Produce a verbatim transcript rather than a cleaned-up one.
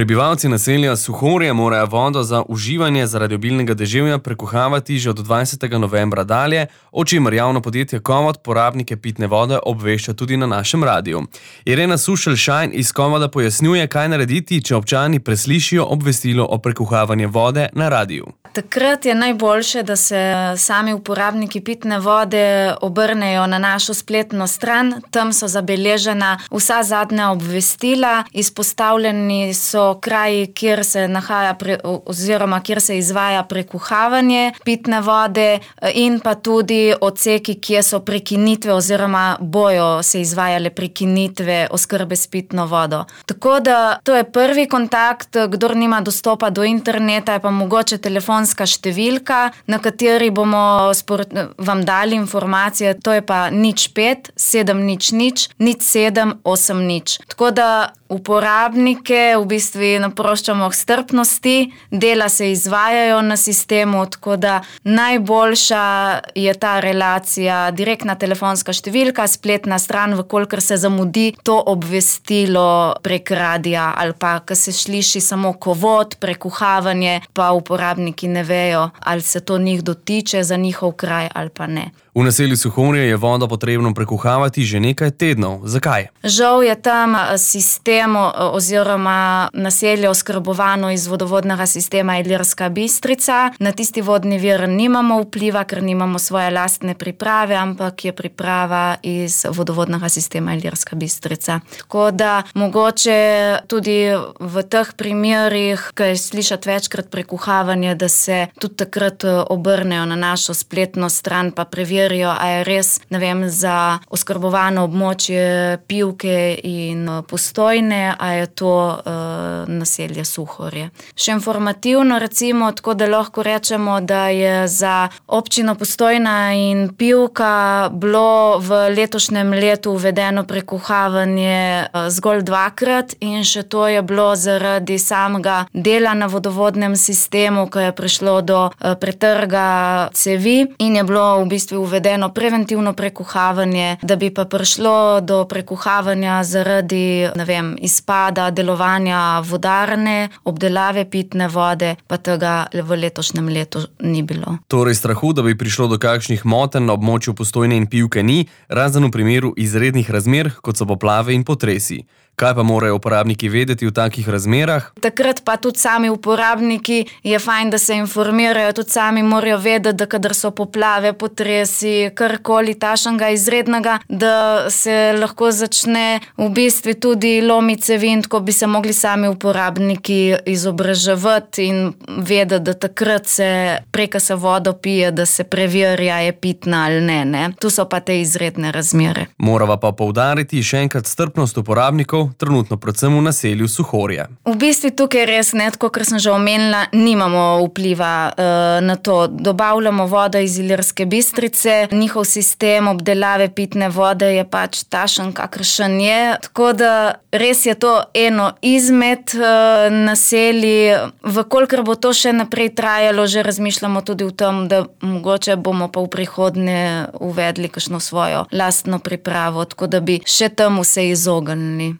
Prebivalci naselja Suhorje morajo vodo za uživanje zaradi obilnega deževja prekuhavati že od dvajsetega novembra dalje, o čemer javno podjetje Kovod porabnike pitne vode obvešča tudi na našem radiju. Irena Sušelj-Šajn iz Kovoda pojasnjuje, kaj narediti, če občani preslišijo obvestilo o prekuhavanju vode na radiju. Takrat je najboljše, da se sami uporabniki pitne vode obrnejo na našo spletno stran. Tam so zabeležena vsa zadnja obvestila, izpostavljeni so kraji, kjer se nahaja pre, oziroma kjer se izvaja prekuhavanje pitne vode in pa tudi odseki, kjer so prekinitve oziroma bojo se izvajale prekinitve oskrbe s pitno vodo. Tako da to je prvi kontakt, kdor nima dostopa do interneta, je pa mogoče telefonska številka, na kateri bomo spor, vam dali informacije, to je pa nič pet, sedem nič nič, nič sedem, osem nič. Tako da uporabnike v bistvu naproščamo k strpnosti, dela se izvajajo na sistemu, tako da najboljša je ta relacija, direktna telefonska številka, spletna stran, vkolikor se zamudi to obvestilo prek radija ali pa, ko se sliši samo Kovod, prekuhavanje, pa uporabniki ne vejo, ali se to njih dotiče za njihov kraj ali pa ne. V naselju Suhorje je vodo potrebno prekuhavati že nekaj tednov. Zakaj? Žal je tam sistem oziroma naselje oskrbovano iz vodovodnega sistema Ilirska Bistrica. Na tisti vodni vir nimamo vpliva, ker nimamo svoje lastne priprave, ampak je priprava iz vodovodnega sistema Ilirska Bistrica. Tako da mogoče tudi v teh primerih, ko je slišati večkrat prekuhavanje, da se tudi takrat obrnejo na našo spletno stran pa preverijo, a je res, ne vem, za oskrbovano območje Pivke in Postojne, a je to uh, naselje Suhorje. Še informativno recimo, tako da lahko rečemo, da je za občino Postojna in Pivka bilo v letošnjem letu uvedeno prekuhavanje uh, zgolj dvakrat in še to je bilo zaradi samega dela na vodovodnem sistemu, ko je prišlo do uh, pretrga cevi in je bilo v bistvu uvedeno preventivno prekuhavanje, da bi pa prišlo do prekuhavanja zaradi, ne vem, izpada delovanja vodarne, obdelave pitne vode, pa tega v letošnjem letu ni bilo. Torej strahu, da bi prišlo do kakšnih motenj na območju Postojne in Pivke ni, razen v primeru izrednih razmer, kot so poplave in potresi. Kaj pa morajo uporabniki vedeti v takih razmerah? Takrat pa tudi sami uporabniki je fajn, da se informirajo, tudi sami morajo vedeti, da kadar so poplave, potresi, karkoli tašnega izrednega, da se lahko začne v bistvu tudi lomiti cevi, tako bi se mogli sami uporabniki izobraževati in vedeti, da takrat se preka se vodo pije, da se preverja, je pitna ali ne, ne. Tu so pa te izredne razmere. Morava pa poudariti še enkrat strpnost uporabnikov, trenutno predvsem v naselju Suhorje. V bistvu tukaj res ne, tako kar sem že omenila, nimamo vpliva uh, na to. Dobavljamo vodo iz Ilirske Bistrice, njihov sistem obdelave pitne vode je pač takšen, kakršen je, tako da res je to eno izmed uh, naselij. Vkolikor bo to še naprej trajalo, že razmišljamo tudi o tem, da mogoče bomo pa v prihodnje uvedli kakšno svojo lastno pripravo, tako da bi še temu se izognili.